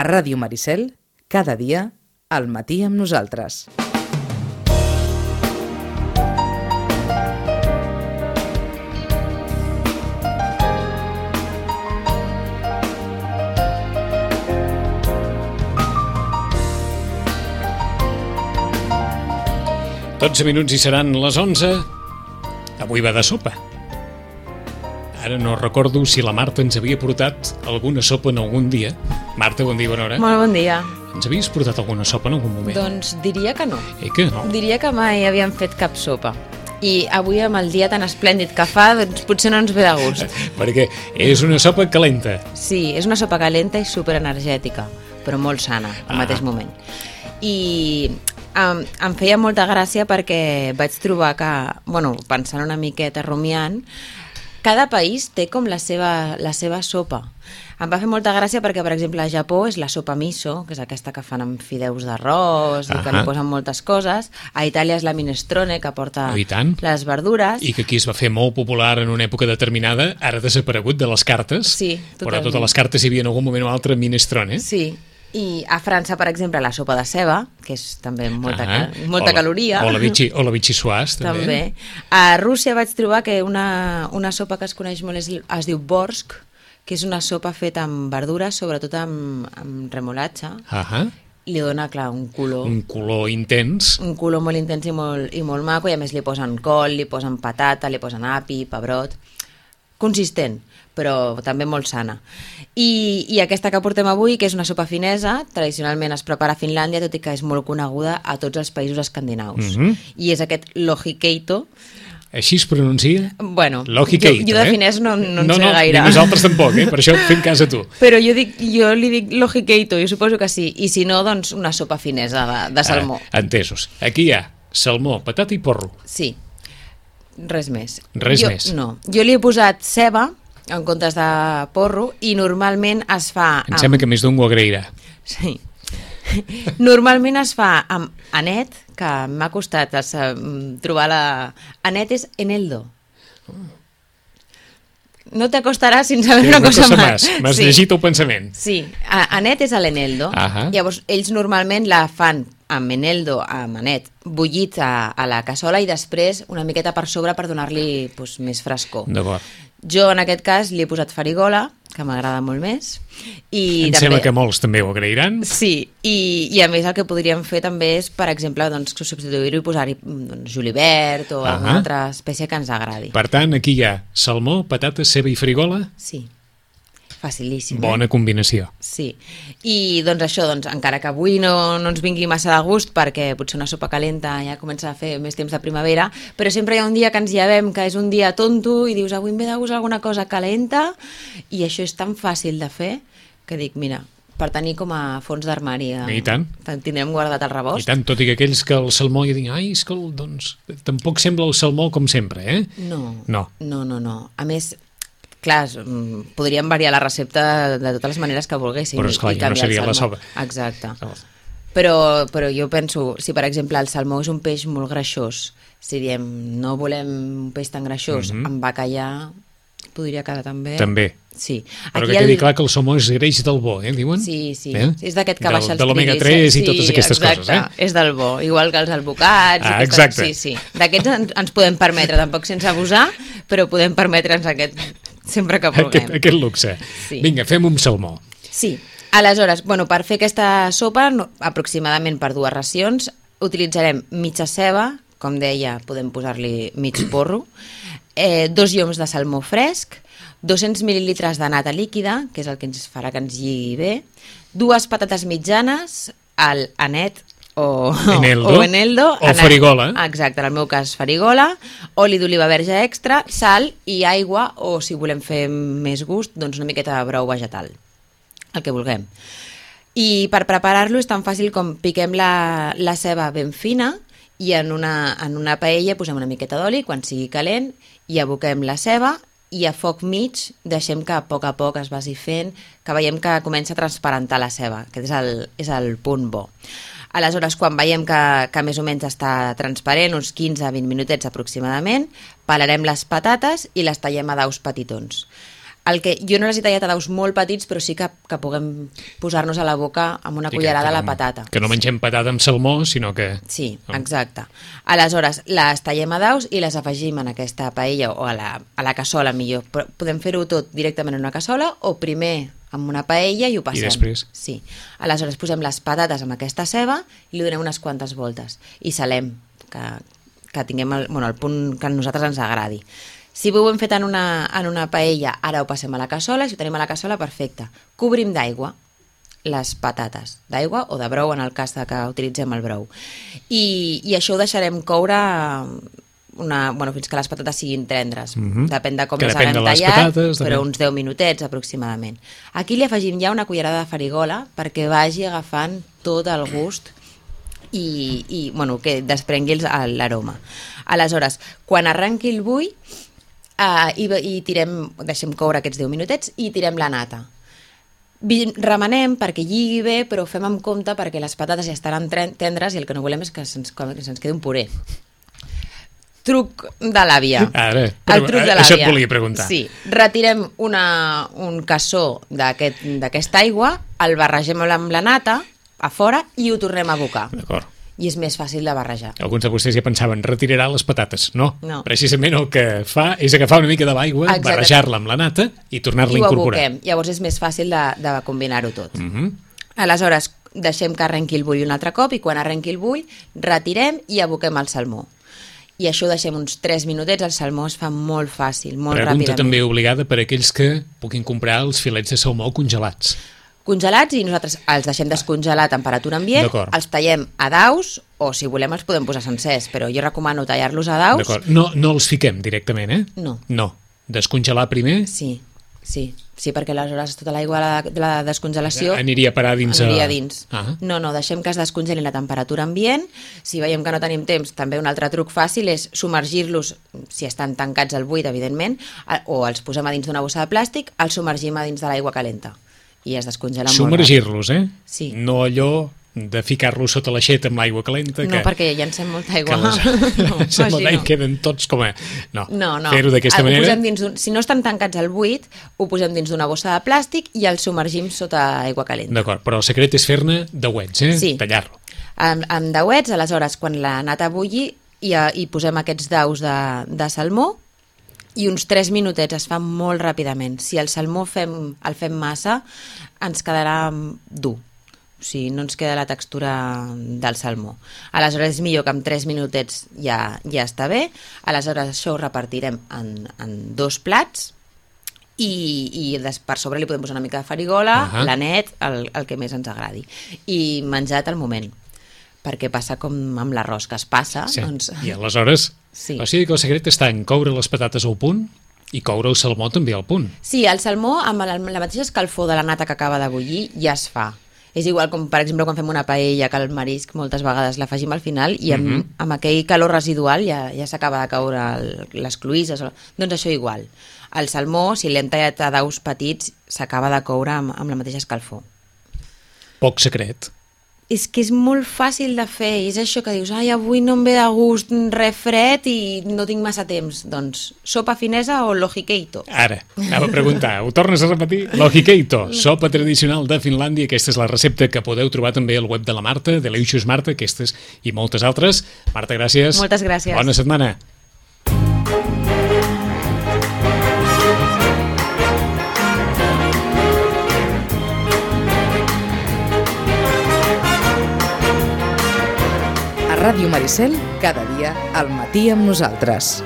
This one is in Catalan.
A Ràdio Maricel, cada dia, al matí amb nosaltres. Dotze minuts i seran les 11. Avui va de sopa. Ara no recordo si la Marta ens havia portat alguna sopa en algun dia. Marta, bon dia, bona hora. Molt bon dia. Ens havies portat alguna sopa en algun moment? Doncs diria que no. Que no? Diria que mai havíem fet cap sopa. I avui, amb el dia tan esplèndid que fa, doncs potser no ens ve de gust. Perquè és una sopa calenta. Sí, és una sopa calenta i superenergètica, però molt sana al mateix moment. I em feia molta gràcia perquè vaig trobar que, pensant una miqueta, rumiant, cada país té com la seva sopa. Em va fer molta gràcia perquè, per exemple, a Japó és la sopa miso, que és aquesta que fan amb fideus d'arròs i que li posen moltes coses. A Itàlia és la minestrone, que porta les verdures. I que aquí es va fer molt popular en una època determinada, ara desaparegut de les cartes. Sí, totalment. Però a totes les cartes hi havia en algun moment o altre minestrone. Sí. I a França, per exemple, la sopa de ceba, que és també molta caloria. O la vichyssoise, també. A Rússia vaig trobar que una sopa que es coneix molt es diu borsk, que és una sopa feta amb verdures, sobretot amb remolatxa. Li dona, clar, un color... Un color intens. Un color molt intens i molt maco, i a més li posen col, li posen patata, li posen api, pebrot... Consistent, però també molt sana. I aquesta que portem avui, que és una sopa finesa, tradicionalment es prepara a Finlàndia, tot i que és molt coneguda a tots els països escandinaus. I és aquest lohikeito. Així es pronuncia? Bueno, lohikeito, jo de finès no en sé gaire. No, nosaltres tampoc, per això fem cas a tu. Però jo li dic lohikeito, jo suposo que sí. I si no, doncs una sopa finesa de salmó. Entesos. Aquí hi ha salmó, patata i porro. Sí. Res més. Més? No. Jo li he posat ceba en comptes de porro i normalment es fa... Em sembla que més d'un ho agrairà. Sí. Normalment es fa amb anet, que m'ha costat trobar la... Anet és eneldo. No t'acostaràs sin saber una cosa més. M'has llegit el pensament. Sí, anet és l'eneldo. Llavors, ells normalment la fan amb eneldo, amb anet, bullit a la cassola i després una miqueta per sobre per donar-li més frescor. D'acord. Jo, en aquest cas, li he posat farigola, que m'agrada molt més. Em sembla que molts també ho agrairan. Sí, i a més el que podríem fer també és, per exemple, substituir-ho i posar-hi julivert o alguna altra espècie que ens agradi. Per tant, aquí hi ha salmó, patata, ceba i farigola? Sí. Facilíssim. Bona combinació. Sí. I doncs això, encara que avui no ens vingui massa de gust perquè potser una sopa calenta ja comença a fer més temps de primavera, però sempre hi ha un dia que ens llevem que és un dia tonto i dius avui em ve de gust alguna cosa calenta i això és tan fàcil de fer que dic, mira, per tenir com a fons d'armari. I tant. Tindrem guardat el rebost. I tant, tot i que aquells que el salmó ja diuen, és que tampoc sembla el salmó com sempre, eh? No. A més, clar, podríem variar la recepta de totes les maneres que volguéssim. Però esclar, ja no seria la sopa. Exacte. Però jo penso, si per exemple el salmó és un peix molt greixós, si diem no volem un peix tan greixós, amb bacallà podria quedar també. També. Sí. Però que quedi clar que el salmó és greix del bo, diuen? Sí. És d'aquest que baixa els de l'omega-3 i totes aquestes coses, és del bo. Igual que els albocats. Exacte. Sí. D'aquests ens podem permetre, tampoc sense abusar, però podem permetre'ns aquest sempre que vulguem. Aquest luxe. Sí. Vinga, fem un salmó. Sí. Aleshores, per fer aquesta sopa, aproximadament per 2 racions, utilitzarem mitja ceba, com deia, podem posar-li mig porro, 2 lloms de salmó fresc, 200 mil·lilitres de nata líquida, que és el que ens farà que ens lligui bé, 2 patates mitjanes, el anet o eneldo. O farigola. Exacte, en el meu cas farigola, oli d'oliva verge extra, sal i aigua, o si volem fer més gust, doncs una miqueta de brou vegetal, el que vulguem. I per preparar-lo és tan fàcil com piquem la ceba ben fina i en una paella posem una miqueta d'oli, quan sigui calent, i aboquem la ceba i a foc mig deixem que a poc es vagi fent, que veiem que comença a transparentar la ceba, que és el punt bo. Aleshores, quan veiem que més o menys està transparent, uns 15-20 minutets aproximadament, pelarem les patates i les tallem a daus petitons. Jo no les he tallat a daus molt petits, però sí que puguem posar-nos a la boca amb una cullerada la patata. Que no mengem patata amb salmó, sinó que... Sí, exacte. Aleshores, les tallem a daus i les afegim en aquesta paella o a la cassola, millor. Però podem fer-ho tot directament en una cassola o primer amb una paella i ho passem. I després? Sí. Aleshores, posem les patates amb aquesta ceba i li donem unes quantes voltes. I salem, que tinguem el punt que a nosaltres ens agradi. Si ho hem fet en una paella, ara ho passem a la cassola, si ho tenim a la cassola, perfecte. Cobrim d'aigua les patates, d'aigua o de brou, en el cas que utilitzem el brou. I això ho deixarem coure fins que les patates siguin tendres. Depèn de com les haguem tallat, però uns 10 minutets aproximadament. Aquí li afegim ja una cullerada de farigola perquè vagi agafant tot el gust i que desprengui l'aroma. Aleshores, quan arrenqui el bull, deixem coure aquests 10 minutets i tirem la nata. Remenem perquè lligui bé, però fem amb compte perquè les patates ja estaran tendres i el que no volem és que se'ns quedi un puré. Truc de l'àvia. El truc de l'àvia. Això et volia preguntar. Sí, retirem un cassó d'aquesta aigua, el barregem amb la nata a fora i ho tornem a abocar. D'acord. I és més fàcil de barrejar. Alguns de vostès ja pensaven, retirarà les patates. No. Precisament el que fa és agafar una mica de l'aigua, barrejar-la amb la nata i tornar-la a incorporar. I ho aboquem. Llavors és més fàcil de combinar-ho tot. Aleshores, deixem que arrenqui el bull un altre cop i quan arrenqui el bull, retirem i aboquem el salmó. I això ho deixem uns 3 minutets, el salmó es fa molt fàcil, molt ràpidament. Pregunta també obligada per aquells que puguin comprar els filets de salmó congelats. Congelats i nosaltres els deixem descongelar a temperatura ambient, els tallem a daus o si volem els podem posar sencers, però jo recomano tallar-los a daus. D'acord, no els fiquem directament, eh? No. Descongelar primer? Sí, perquè aleshores tota l'aigua de la descongelació aniria a parar dins. No, deixem que es descongelin a temperatura ambient. Si veiem que no tenim temps, també un altre truc fàcil és submergir-los, si estan tancats al buit, evidentment, o els posem a dins d'una bossa de plàstic, els submergim a dins de l'aigua calenta i es descongela molt ràpid. Submergir-los, eh? Sí. No allò de ficar-los sota l'aixeta amb l'aigua calenta. No, perquè llancem molta aigua. I queden tots com a... No. Fer-ho d'aquesta manera... Si no estan tancats al buit, ho posem dins d'una bossa de plàstic i els submergim sota aigua calenta. D'acord, però el secret és fer-ne dauets, eh? Sí. Tallar-lo. Amb dauets, aleshores, quan la nata bulli, hi posem aquests daus de salmó i uns 3 minutets, es fa molt ràpidament. Si el salmó el fem massa, ens quedarà dur. O sigui, no ens queda la textura del salmó. Aleshores és millor que amb 3 minutets ja està bé. Aleshores això ho repartirem en 2 plats i per sobre li podem posar una mica de farigola, l'anet, el que més ens agradi. I menjat al moment, perquè passa com amb l'arròs, que es passa. Sí. I aleshores... Sí. O sigui que el secret està en coure les patates al punt i coure el salmó també al punt. Sí, el salmó amb la mateixa escalfor de la nata que acaba de bullir ja es fa. És igual com, per exemple, quan fem una paella, que el marisc moltes vegades l'afegim al final i amb aquell calor residual ja s'acaba de caure les cloïsses. Doncs això igual. El salmó, si l'hem tallat a daus petits, s'acaba de coure amb la mateixa escalfor. Poc secret. És que és molt fàcil de fer, és això que dius, avui no em ve de gust res fred i no tinc massa temps. Doncs sopa finesa o l'ojikeito. Ara, anava a preguntar, ho tornes a repetir? L'ojikeito, sopa tradicional de Finlàndia, aquesta és la recepta que podeu trobar també al web de la Marta, Delicious Marta, aquestes i moltes altres. Marta, gràcies. Moltes gràcies. Bona setmana. Ràdio Maricel, cada dia al matí amb nosaltres.